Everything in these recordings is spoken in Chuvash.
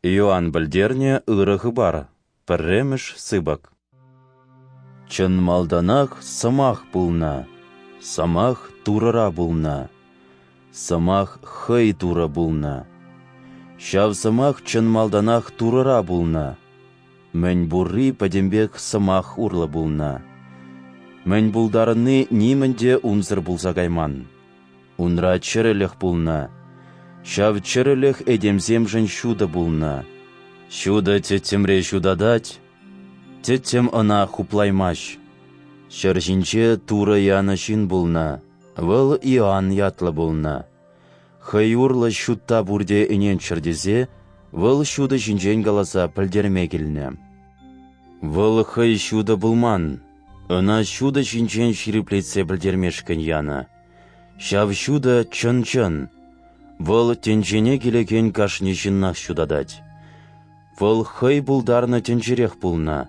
Иоанн пӗлтернӗ ырӑ хыпар, пӗрремӗш сыпӑк. Чӑн малтанах Сӑмах пулнӑ, Сӑмах Турӑра пулнӑ, Сӑмах Хӑй Турӑ пулнӑ. Ҫав Сӑмах чӑн малтанах Турӑра пулнӑ. Мӗн пурри пӗтӗмпех Сӑмах урлӑ пулнӑ. Мӗн пултарни нимӗн те унсӑр пулса кайман. Унра чӗрӗлӗх пулнӑ. Ҫав чӗрӗлӗх этемсемшӗн ҫутӑ пулнӑ. Ҫутӑ тӗттӗмре ҫутатать, тӗттӗм ӑна хуплаймасть. Ҫӗр ҫинче Турӑ янӑ ҫын пулнӑ, вӑл Иоанн ятлӑ пулнӑ. Хӑй урлӑ ҫутта пурте ӗненччӗр тесе, вӑл ҫутӑ ҫинчен каласа пӗлтерме килнӗ. Вӑл хӑй ҫутӑ пулман, ӑна ҫутӑ ҫинчен ҫирӗплетсе пӗлтермешкӗн янӑ. Ҫав ҫутӑ чӑн-чӑн. Вӑл тӗнчене килекен кашни ҫыннах ҫутатать. Вӑл хӑй пултарнӑ тӗнчерех пулнӑ.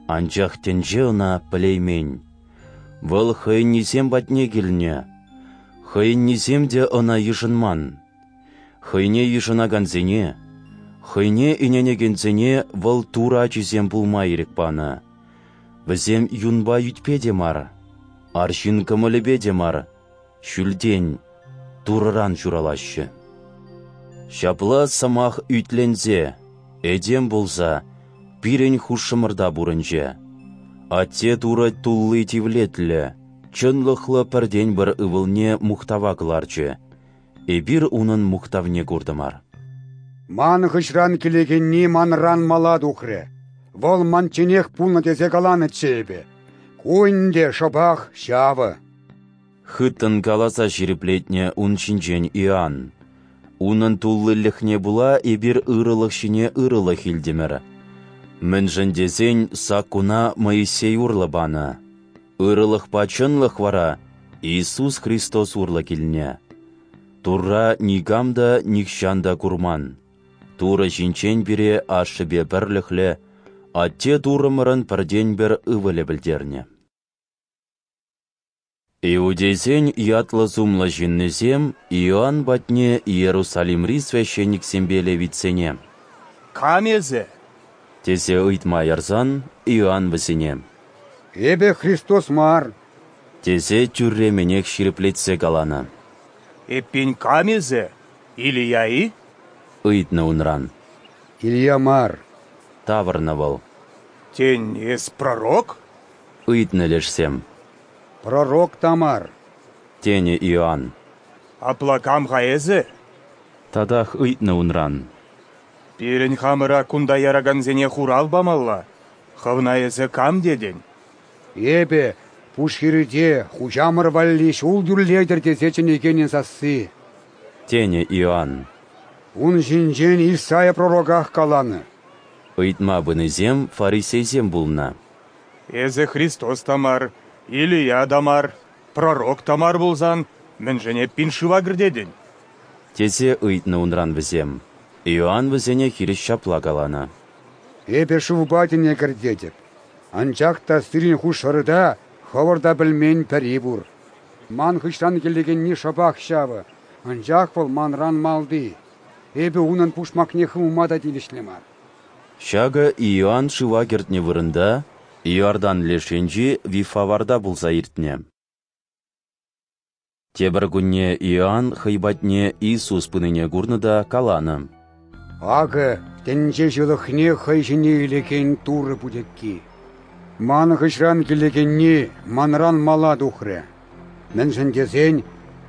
Анчах тӗнче ӑна пӗлеймен. Вӑл хӑйӗннисем патне килнӗ. Хӑйӗннисем те ӑна йышӑнман. Хӑйне йышӑнакансене, хӑйне ӗненекенсене вӑл Турӑ ачисем пулма ирӗк панӑ. Вӗсем юнпа ӳтпе те мар, арҫын кӑмӑлӗпе те мар, ҫӳлтен, Турӑран ҫуралаҫҫӗ. Ҫапла сӑмах ӳтленсе, этем пулса, пирӗн хушшӑмӑрта пурӑнчӗ. Атте Турӑ тулли тивлетлӗ, чӑнлӑхлӑ пӗртен-пӗр ывӑлне мухтава кӑларчӗ. Эпир унӑн мухтавне куртӑмӑр. Ман хыҫран килекенни манран мала тухрӗ. Вӑл манчченех пулнӑ тесе каланӑччӗ эпӗ. Ку ӗнтӗ шӑпах ҫавӑ. Хыттӑн каласа ҫирӗплетнӗ ун ҫинчен Иоанн. Унӑн туллилӗхне пула эпир ырӑлӑх ҫине ырӑлӑх илтӗмӗр. Мӗншӗн тесен саккуна Моисей урлӑ панӑ. Ырӑлӑхпа чӑнлӑх вара Иисус Христос урлӑ килнӗ. Турра никам та нихҫан та курман. Турӑ ҫинчен пире Ашшӗпе пӗрлӗхлӗ Атте Туррӑмӑрӑн пӗртен-пӗр ывӑлӗ пӗлтернӗ. Иудейсен ятлӑ-сумлӑ ҫыннисем Иоанн патне Иерусалимри священниксемпе левитсене «Кам эсӗ?» тесе ыйтма ярсан, Иоанн вӗсене «Эпӗ Христос мар» тесе тӳрремӗнех ҫирӗплетсе каланӑ. «Эппин, кам эсӗ? Илия-и?» ыйтнӑ унран. «Илия мар», тавӑрнӑ вӑл. «Тен, эс пророк?» ыйтнӑ лешсем. «Пророк та мар», тенӗ Иоанн. «Апла кам-ха эсӗ?» Татах ыйтнӑ унран. «Пирӗн хамӑра кунта яракансене хурав памалла. Хӑвна эсӗ кам тетӗн?» «Эпӗ пушхирте хуҫамӑр валли ҫул тӳрлетӗр тесе чӗнекенӗн сасси», тенӗ Иоанн. «Ун ҫинчен Исаия пророках каланӑ». Ыйтма пынисем фарисейсем пулнӑ. «Эсӗ Христос та мар, Илия та мар, пророк та мар пулсан, мӗншӗн эппин шыва кӗртетӗн?» тесе ыйтнӑ унран вӗсем. Иоанн вӗсене хирӗҫ ҫапла каланӑ. «Эпӗ шывпа тӗне кӗртетӗп, анчах та сирӗн хушшӑрта хӑвӑр та пӗлмен пӗри пур. Ман хыҫран килекенни шӑпах ҫавӑ, анчах вӑл манран малти. Эпӗ унӑн пушмакне хывма та тивӗҫлӗ мар». Ҫакӑ Иоанн шыва кӗртнӗ вырӑнта, Иордан леш енчи Вифаварта пулса иртнӗ. Тепӗр кунне Иоанн хӑй патне Иисус пынине курнӑ та каланӑ: «Акӑ тӗнче ҫылӑхне хӑй ҫине илекен Турӑ путекки. Ман хыҫран килекенни манран мала тухрӗ. Мӗншӗн тесен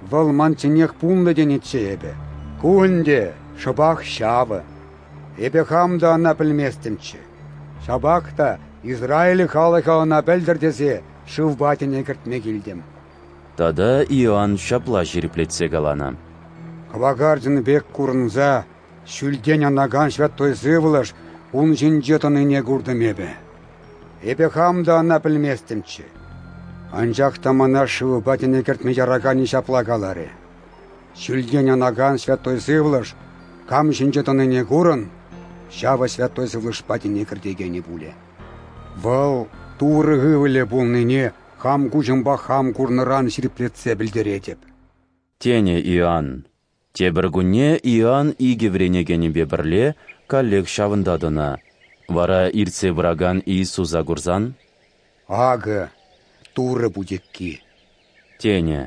вӑл манчченех пулнӑ тенӗччӗ эпӗ. Ку ӗнтӗ шӑпах ҫавӑ. Эпӗ хам та ӑна пӗлместӗмччӗ. Ҫапах та Израиль халӑхӗ ӑна пӗлтӗр тесе шывпа тӗне кӗртме килтӗм». Тата Иоанн ҫапла ҫирӗплетсе каланӑ: «Кӑвакарчӑн пек курӑнса ҫӳлтен анакан Ҫвяттуй Сывлӑш ун ҫинче тӑнине куртӑм эпӗ. Эпӗ хам та ӑна пӗлместӗмччӗ. Анчах та мана шывпа тӗне кӗртме яраканӗ ҫапла каларӗ: Ҫӳлтен анакан Ҫвяттуй Сывлӑш кам ҫинче тӑнине курӑн, ҫавӑ Ҫвяттуй Сывлӑшпа тӗне кӗртекенӗ пулӗ. Вӑл Турӑ ывӑлӗ пулнине хам куҫӑмпа хам курнӑран ҫирӗплетсе пӗлтеретӗп», тенӗ Иоанн. Тепӗр кунне Иоанн икӗ вӗренекенӗпе пӗрле каллех ҫавӑнта тӑнӑ. Вара иртсе пыракан Иисуса курсан: Акӑ Турӑ путекки! Тенӗ.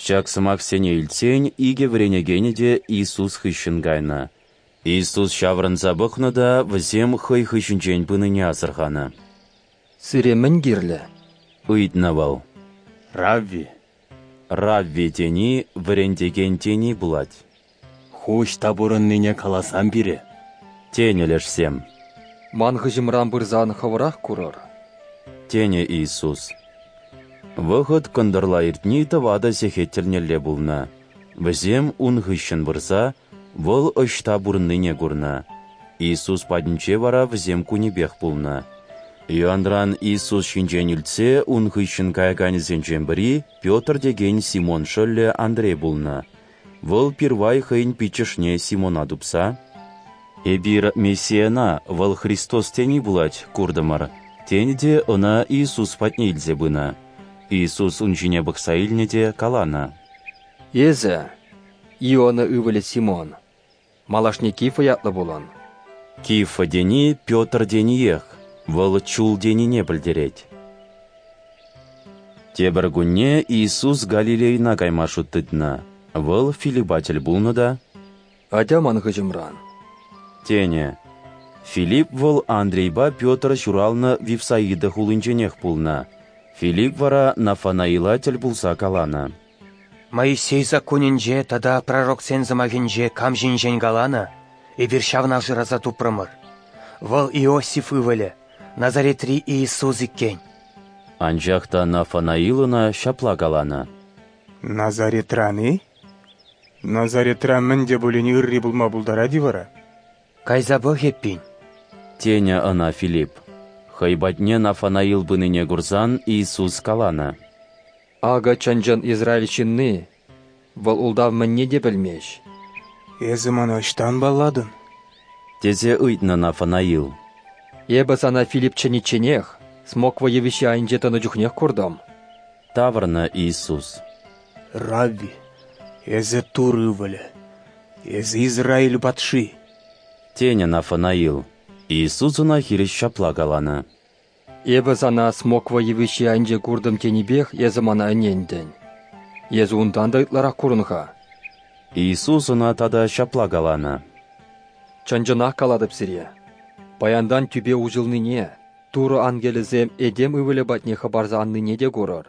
Ҫак сӑмахсене илтсен икӗ вӗренекенӗ те Иисус хыҫҫӑн кайнӑ. Иисус ҫаврӑнса пӑхнӑ та вӗсем хӑй хыҫӗнчен пынине асӑрханӑ. Сире мӗн кирлӗ? Ыйтнӑ вӑл. Равви, Равви тени вӗрентекен тени пулать. Ху ӑҫта пурӑннине каласам пире. Тенӗ лешсем. Ман хыҫӑмран пырсан хӑвӑрах курӑр. Тенӗ Иисус. Вӑхӑт кӑнтӑрла иртни тӑватӑ сехет тӗлнелле пулнӑ. Вӗсем ун хыҫҫӑн пырса вӑл ӑҫта пурӑннине курнӑ. Иисус патӗнче вара вӗсем кунӗпех пулнӑ. Иоанран Иисус ҫинчен илтсе ун хыҫҫӑн каяканӗсенчен пӗри Петр текен Симон шӑллӗ Андрей пулнӑ. Вӑл пирвай хӑйӗн пиччӗшне Симона тупса: Эпир Мессийӑна, вӑл Христос тени пулать, куртӑмӑр, тенӗ те ӑна Иисус патне илсе пынӑ. Иисус ун ҫине пӑхса илнӗ те каланӑ: Эсӗ, Иона ывӑлӗ Симон, малашне Кифа ятлӑ пулӑн. Кифа тени Петр тениех, вӑл чул тенине пӗлтерет. Тепӗр кунне Иисус Галилейӑна кайма шут тытнӑ. Вӑл Филиппа тӗл пулнӑ та: Атя ман хыҫӑмран, тенӗ. Филипп вӑл Андрейпа Петр ҫуралнӑ Вифсаида хулинченех пулнӑ. Филипп вара Нафанаила тӗл пулса каланӑ: Моисей саккунӗнче тата пророксен сӑмахӗнче кам ҫинчен каланӑ, эпир ҫавна шыраса тупрӑмӑр. Вӑл Иосиф ывӑлӗ, Назаретри Иисус иккен. Анчах та Нафанаил ӑна ҫапла каланӑ: Назаретран-и? Назаретра мӗн те пулин ырри пулма пултарать-и вара? Кайса пӑх эппин. Тенӗ ӑна Филипп. Хӑй патне Нафанаил пынине курсан Иисус каланӑ: Акӑ чӑн-чӑн Израиль ҫынни, вӑл ултав мӗнне те пӗлмест. Эсӗ мана ӑҫтан паллатӑн? Тесе ыйтнӑ Нафанаил. Эпӗ сана Филипп чӗничченех, смоква йывӑҫҫи айӗнче тӑнӑ чухнех куртӑм. Тавӑрнӑ Иисус. Равви, эсӗ Турӑ ывӑлӗ, эсӗ Израиль патши. Тенӗ Нафанаил. Иисус ӑна хирӗҫ ҫапла каланӑ: Эпӗ сана смоква йывӑҫҫи айӗнче куртӑм тенипех эсӗ мана ӗнентӗн. Эсӗ унтан та ытларах курӑн-ха. Иисус ӑна тата ҫапла каланӑ: Чӑн-чӑнах калатӑп сире, паянтан тӳпе уҫӑлнине, Турӑ ангелӗсем этем ывӑлӗ патне хӑпарса аннине те курӑр.